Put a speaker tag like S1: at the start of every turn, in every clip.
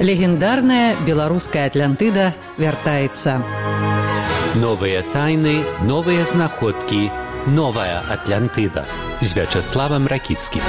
S1: Легендарная беларуская Атлантыда вяртаецца.
S2: Новыя тайны, новыя знаходкі, новая Атлантыда з Вячаславам Ракіцкім.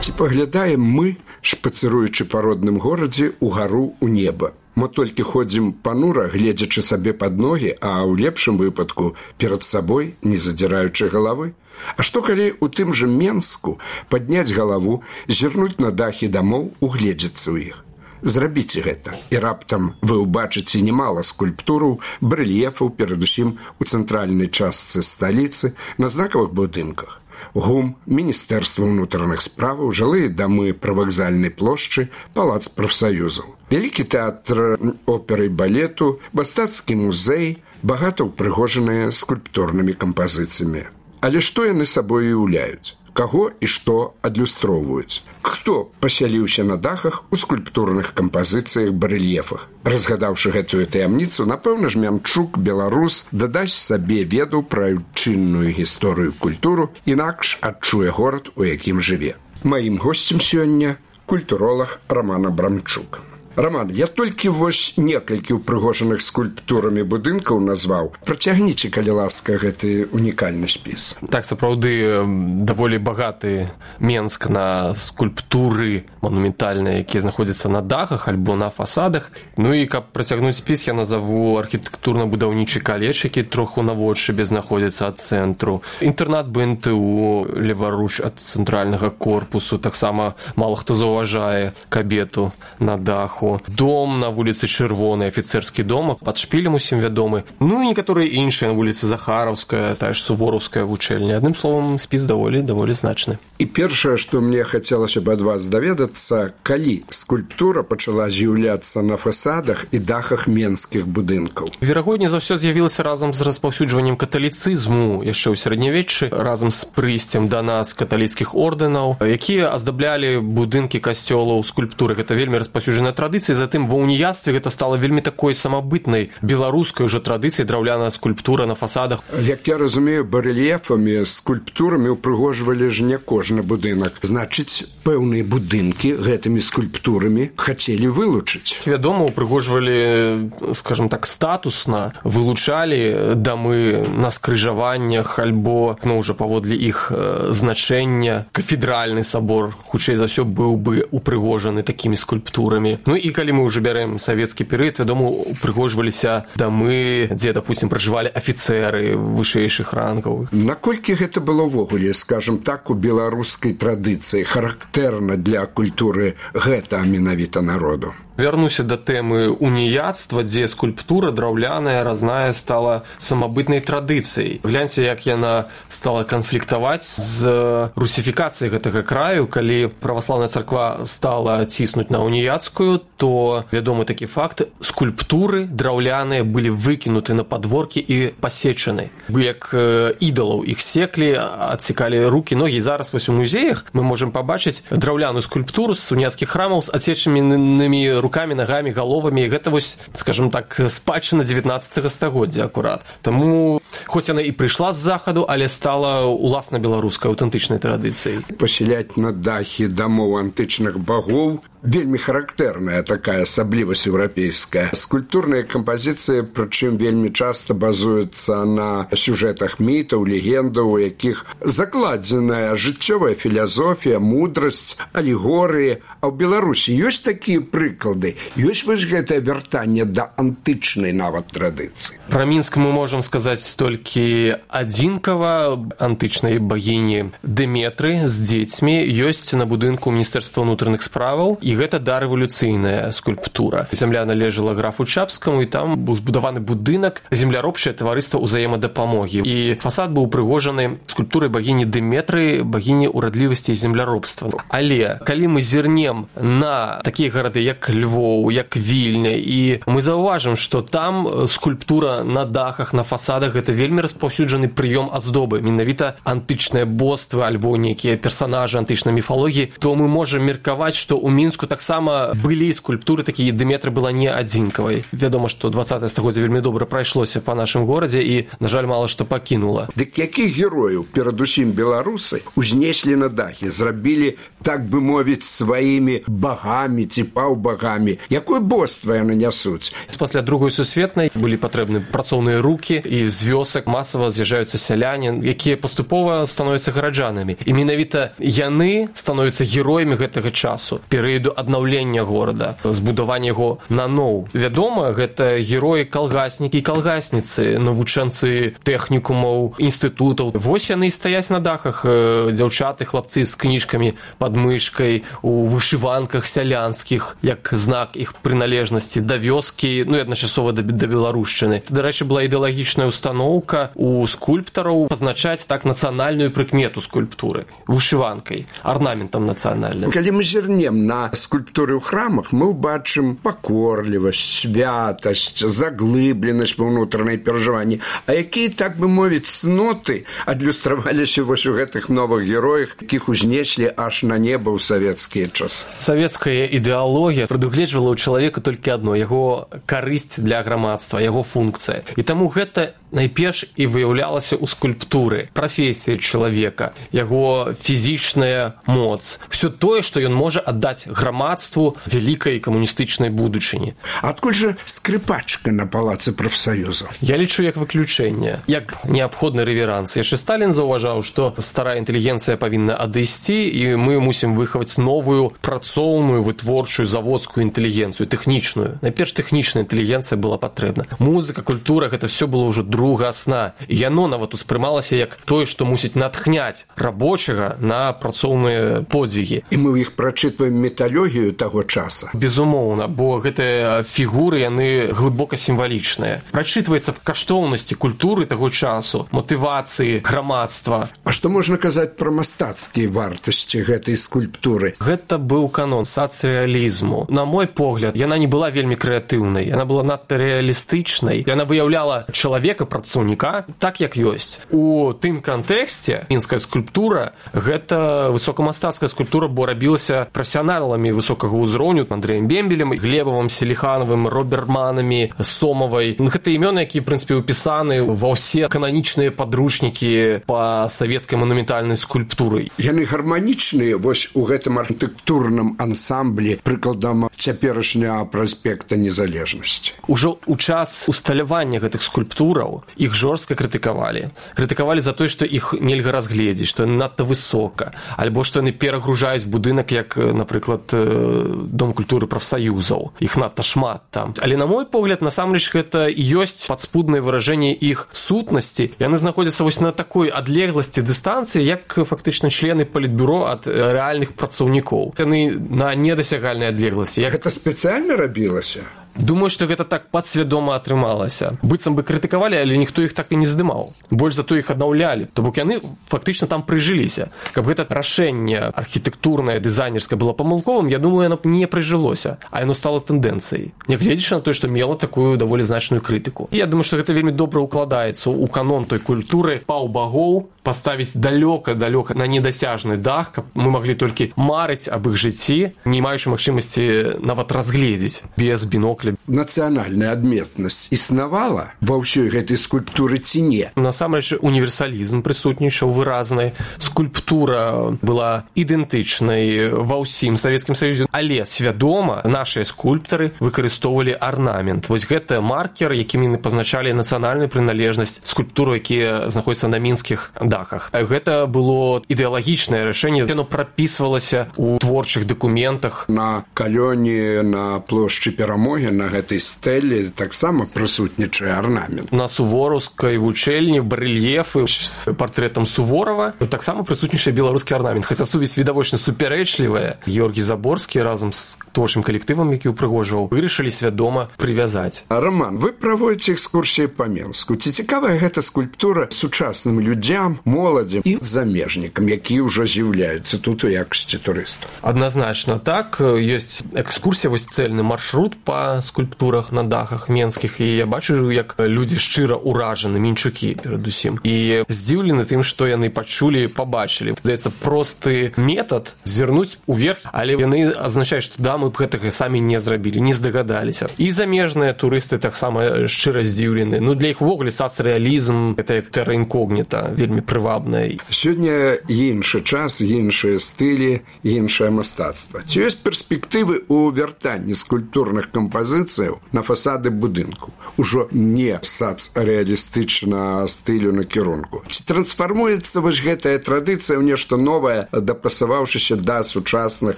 S3: Ці паглядаем мы, шпацыруючы па родным горадзе, угару ў неба. Мы толькі ходзім панура, гледзячы сабе пад ногі, а ў лепшым выпадку перад сабой, не задзіраючы галавы. А што калі ў тым жа Менску падняць галаву, зірнуць на дахі дамоў, угледзецца ў іх? Зрабіце гэта, і раптам вы ўбачыце немала скульптураў, барэльефаў, перадусім у цэнтральнай частцы сталіцы, на знакавых будынках. ГУМ, Міністэрства ўнутраных справаў, жылыя дамы прывакзальнай плошчы, палац прафсаюзаў. Вялікі тэатр оперы і балету, мастацкі музей, багата ўпрыгожаныя скульптурнымі кампазіцыямі. Але што яны сабой уяўляюць? Каго і што адлюстроўваюць? Хто пасяліўся на дахах у скульптурных кампазіцыях, барэльефах? Разгадаўшы гэтую таямніцу, напэўна ж Мямчук, беларус, дадасць сабе веду пра айчынную гісторыю культуру, інакш адчуе горад, у якім жыве. Маім госцем сёння культуролаг Роман Абрамчук. Роман, я толькі вось некалькі ўпрыгожаных скульптурамі будынкаў назваў. Працягніце, калі ласка, гэты унікальны спіс.
S4: Так, сапраўды, даволі багаты Менск на скульптуры манументальныя, якія знаходзяцца на дахах альбо на фасадах. Ну і каб працягнуць спіс, я назову архітэктурна-будаўнічы каледж, які троху наводшыбе знаходзіцца ад цэнтру. Інтэрнат БНТУ леваруч ад цэнтральнага корпусу, таксама мала хто заўважае кабету на даху. Дом на вуліцы Чырвонай, афіцэрскі дом, пад шпілем усім вядомы. Ну і некаторыя іншыя на вуліцы Захараўская, тая ж Сувораўская вучэльня. Адным словам, спіс даволі значны.
S3: І першае, што мне хацелася б ад вас даведацца, калі скульптура пачала з'яўляцца на фасадах і дахах менскіх будынкаў?
S4: Верагодней за ўсё з'явілася разам з распаўсюджваннем каталіцызму яшчэ ў сярэднявеччы, разам з прыйсцем да нас каталіцкіх ордэнаў, якія аздаблялі будынкі касцёлаў скульптуры. Гэта вельмі распаўсюджаная традыцыя. Затым ва уніяцтве гэта стала вельмі такой самабытнай беларускай уже традыцыяй, драўляная скульптура на фасадах.
S3: Як я разумею, барэльефамі, скульптурамі ўпрыгожвалі ж не кожны будынак. Значыць, пэўныя будынкі гэтымі скульптурамі хацелі вылучыць.
S4: Вядома, упрыгожвалі, скажем так, статусна, вылучалі дамы на скрыжаваннях альбо, уже паводле іх значэння. Кафедральны сабор, хутчэй за ўсё, быў бы упрыгожаны такімі скульптурамі. Ну і калі мы ўжо бярэм савецкі перыяд, вядома, упрыгожваліся дамы, дзе, допустим, пражывалі афіцэры вышэйшых рангаў.
S3: Наколькі гэта было ўвогуле, скажем так, у беларускай традыцыі, характэрна для культуры гэта менавіта народу?
S4: Вярнуся да тэмы уніяцтва, дзе скульптура драўляная, разная, стала самабытнай традыцыяй. Гляньце, як яна стала канфліктаваць з русіфікацыяй гэтага краю. Калі праваслаўная царква стала ціснуць на уніяцкую, то вядомы такі факт, скульптуры драўляныя былі выкінуты на падворкі і пасечаны. Як ідалаў іх секлі, адсекалі рукі, ногі. Зараз вось у музеях мы можам пабачыць драўляную скульптуру з уніяцкіх храмаў з адсечанымі рукамі, нагамі, галовамі. Гэта вось, скажем так, спадчына 19 стагоддзя акурат. Таму, хоць яна і прыйшла з захаду, але стала уласна беларускай аўтэнтычнай традыцыяй.
S3: Пасяляць на дахі дамоў антычных багоў вельмі характэрная такая асаблівасць еўрапейская. Скульптурныя кампазіцыі, прычым вельмі часта базуюцца на сюжэтах мітаў, легендаў, у якіх закладзеная жыццёвая філасофія, мудрасць, алегорыі. А ў Беларусі ёсць такія прыклады? Ёсць вось гэтае вяртанне да антычнай нават традыцыі?
S4: Пра Мінск мы можам сказаць толькі адзінкава. Антычнай багіні Дэметры з дзецьмі ёсць на будынку Міністэрства ўнутраных справаў, і гэта дарэвалюцыйная скульптура. Зямля належала графу Чапскаму, і там быў збудаваны будынак земляробчае таварыства ўзаемадапамогі. І фасад быў упрыгожаны скульптурай багіні Дэметры, багіні ўрадлівасці і земляробства. Але калі мы зірнем на такія гарады, як Львоў, як Вільня, і мы заўважым, што там скульптура на дахах, на фасадах гэта вельмі распаўсюджаны прыём аздобы, менавіта антычныя боствы альбо нейкія персанажы антычнай міфалогіі, то мы можам меркаваць, што ў Мінску таксама былі скульптуры такія, Дыметра была не адзінкавай. Вядома, што 20 стагоддзя вельмі добра прайшлося па нашым горадзе і, на жаль, мала што пакінула.
S3: Дык якіх герояў, перадусім беларусы, узнеслі на дахі, зрабілі, так бы мовіць, сваімі багамі ці паўбагамі? Якое боства яны нясуць?
S4: Пасля Другой сусветнай былі патрэбны працоўныя рукі, і з вёсак масава з'язджаюцца сяляне, якія паступова становяцца гараджанамі. І менавіта яны становяцца героямі гэтага часу, перыяду аднаўлення горада, збудавання яго наноў. Вядома, гэта героі калгаснікі і калгасніцы, навучэнцы тэхнікумаў, інстытутаў. Вось яны стаяць на дахах, дзяўчаты, хлапцы з кніжкамі пад мышкай, у вышыванках сялянскіх, як знак іх прыналежнасці да вёскі, ну і адначасова да беларушчыны. Дарэчы, была ідэалагічная устаноўка у скульптараў пазначаць так нацыянальную прыкмету скульптуры вышыванкай, арнаментам нацыянальным.
S3: Калі мы зірнем на скульптуры ў храмах, мы ўбачым пакорлівасць, святасць, заглыбленасць ва ўнутранай перажыванні. А якія, так бы мовіць, цноты адлюстраваліся вось у гэтых новых героях, якіх узнеслі аж на неба ў савецкія часы?
S4: Савецкая ідэалогія прадугледжвала ў чалавека толькі адно – яго карысць для грамадства, яго функцыя. І таму гэта найперш і выяўлялася ў скульптуры, прафесія чалавека, яго фізічная моц, все тое, што ён можа аддаць грамадству вялікай камуністычнай будучыні.
S3: Адкуль жа скрыпачка на палацы прафсаюзаў?
S4: Я лічу як выключэнне, як неабходны рэверанс. Яшчэ Сталін заўважаў, што старая інтэлігенцыя павінна адысці, і мы мусім выхаваць новую працоўную, вытворчую, заводскую інтэлігенцыю, тэхнічную. Найперш тэхнічная інтэлігенцыя была патрэбна. Музыка, культура – гэта все было ўжо другасна. І яно нават успрымалася як тое, што мусіць натхняць рабочага на працоўныя подзвігі.
S3: І мы ў іх прачытваем металогію таго часа.
S4: Безумоўна, бо гэтыя фігуры, яны глыбока сімвалічныя. Прачытваецца в каштоўнасці культуры таго часу, матывацыі грамадства.
S3: А што можна казаць пра мастацкія вартасці гэтай скульптуры?
S4: Гэта быў канон сацыялізму. На мой погляд, яна не была вельмі крэатыўнай, яна была надта рэалістычнай. Яна выяўляла чалавека, працаўніка, так як ёсць. У тым кантэксце мінская скульптура – гэта высокамастацкая скульптура, бо рабілася прафесіяналамі высокага ўзроўню, Андрэем Бембелем, Глебавым, Селіханавым, Роберманамі, Сомавай. Гэта імёны, якія, в прынцыпе, ўпісаны ва ўсе кананічныя падручнікі па савецкай манументальнай скульптуры.
S3: Яны гарманічныя вось у гэтым архітэктурным ансамблі, прыкладам цяперашняга праспекта Незалежнасці.
S4: Ужо ў час усталявання гэтых скульптураў іх жорстка крытыкавалі. Крытыкавалі за тое, што іх нельга разгледзець, што яны надта высока, альбо што яны перагружаюць будынак, як, напрыклад, Дом культуры прафсаюзаў. Іх надта шмат там. Але, на мой погляд, насамрэч гэта ёсць падспуднае выражэнне іх сутнасці. Яны знаходзяцца вось на такой адлегласці дыстанцыі, як фактычна члены палітбюро ад рэальных працаўнікоў. Яны на недасягальнай адлегласці.
S3: Гэта спецыяльна рабілася?
S4: Думаю, што гэта так падсвядома атрымалася. Быццам бы крытыкавалі, але ніхто іх так і не здымаў. Больш за то іх аднаўлялі. То бок яны фактычна там прыжыліся. Каб гэта рашэнне архітэктурнае, дызайнерскае было памылковым, я думаю, яно не прыжылося, а яно стало тэндэнцыяй. Нягледзячы на тое, што мела такую даволі значную крытыку. І я думаю, што гэта вельмі добра ўкладаецца ў канон той культуры паўбагоў, паставіць далёка на недасяжны дах, каб мы маглі толькі марыць аб іх жыцці, не маючы магчымасці нават разгледзець без бінокля.
S3: Нацыянальная адметнасць існавала ва ўсёй гэтай скульптуры ці не?
S4: Насамрэч універсалізм прысутнічаў выразны. Скульптура была ідэнтычнай ва ўсім Савецкім Саюзе, але свядома нашыя скульптары выкарыстоўвалі арнамент. Вось гэта маркер, якім яны пазначалі нацыянальную прыналежнасць скульптуру, якія знаходзяцца на мінскіх дахах. Гэта было ідэалагічнае рашэнне, яно прапісвалася ў творчых дакументах.
S3: На калёне, на плошчы Перамогі, на гэтай стэле таксама прысутнічае арнамент.
S4: На сувораўскай вучэльні барэльефы з партрэтам Суворава таксама прысутнічае беларускі арнамент. Хаця сувязь відавочна супярэчлівая. Георгій Заборскі разам з творчым калектывам, які ўпрыгожваў, вырашылі свядома прывязаць.
S3: Роман, вы праводзіце экскурсіі па Менску. Ці цікавая гэта скульптура сучасным людзям, моладзі і замежнікам, якія ўжо з'яўляюцца тут у якасці турыстаў.
S4: Адназначна так. Ёсць экскурсія, вось цэльны маршрут па скульптурах на дахах менскіх, і я бачу, як людзі шчыра ўражаны, мінчукі перадусім, і здзіўлены тым, што яны пачулі, пабачылі. Здаецца, просты метад зірнуць уверх, але яны азначаюць, што да, мы б гэтага самі не зрабілі, не здагадаліся. І замежныя турысты таксама шчыра здзіўлены. Ну, для іх увогуле сацрэалізм, гэта як тэра інкогніта, вельмі прывабная.
S3: Сёння іншы час, іншыя стылі, іншае мастацтва. Ці ёсць перспектывы ў вяртанні скульптурных кампазіцыяў на фасады будынку? Ужо не сацрэалістычна стылю накірунку. Ці трансфармуецца вось гэтая традыцыя ў нешта новае, дапасаваўшыся да сучасных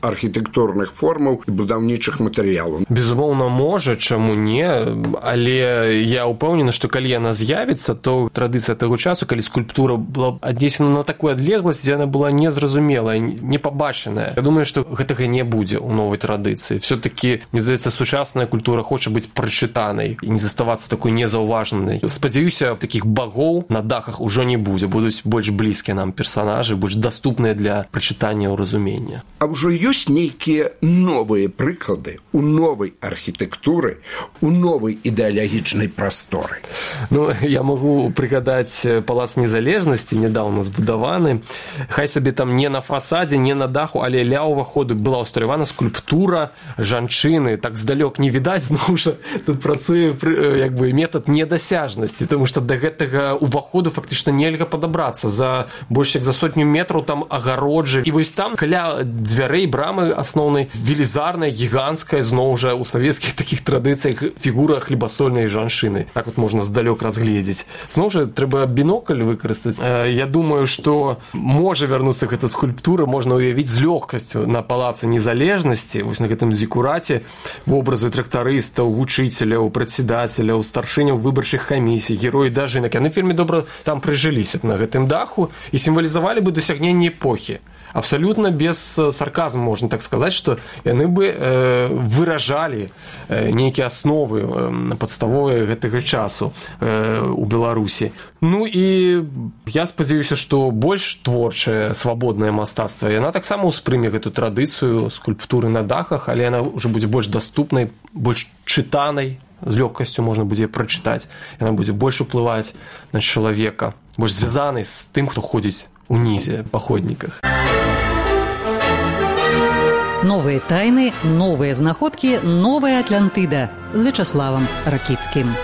S3: архітэктурных формаў і будаўнічых матэрыялаў?
S4: Безумоўна, можа, чаму не, але я ўпэўнены, што калі яна з'явіцца, то традыцыя таго часу, калі скульптура была аднесена на такую адлегласць, дзе яна была незразумелая, непабачаная. Я думаю, што гэтага не будзе ў новай традыцыі. Все-таки, мне здаецца, сучасная культура хоча быць прачытанай і не заставацца такой незаўважанай. Спадзяюся, такіх багоў на дахах ужо не будзе, будуць больш блізкія нам персанажы, больш даступныя для прачытання і разумення.
S3: А ўжо ёсць нейкія новыя прыклады у новай архітэктуры, у новай ідэалагічнай прасторы?
S4: Ну, я магу прыгадаць Палац Незалежнасці, нядаўна збудаваны. Хай сабе там не на фасадзе, не на даху, але ля ўваходу была ўсталявана скульптура жанчыны. Так здалёк не відаць, зноў жа тут працуе як бы метад недасяжнасці, тому што да гэтага ўваходу фактычна нельга падабрацца. За больш як за 100 метраў там агароджы. І вось там каля дзвярэй брамы асноўнай велізарная, гіганцкая, зноў жа у савецкіх такіх традыцыях фігура хлебасольнай жанчыны. Так вот можна здалёк разгледзець. Зноў жа трэба бінокль выкарыстаць. Я думаю, што можа вярнуцца гэта скульптура, можна ўявіць з лёгкасцю на Палацы Незалежнасці, вось на гэтым зікураце вобразы трактарыстаў, вучыцеляў, прадседателяў, старшыняў выбарчых камісій, героі дажынак. Яны вельмі добра там прыжыліся на гэтым даху і сімвалізавалі бы дасягненне эпохі. Абсолютно без сарказму можна так сказаць, што яны бы выражалі нейкія асновы падставовыя гэтага часу у Беларусі. Ну і я спадзяюся, што больш творчае, свабоднае мастацтва, яна таксама ўспрыме гэту традыцыю скульптуры на дахах, але яна ўжо будзе больш даступнай, больш чытанай, з лёгкасцю можна будзе прачытаць, яна будзе больш уплываць на чалавека, больш звязанай з тым, хто ходзіць унізе па ходніках.
S1: Новыя тайны, новыя знаходкі, новая Атлантыда з Вячаславам Ракіцкім.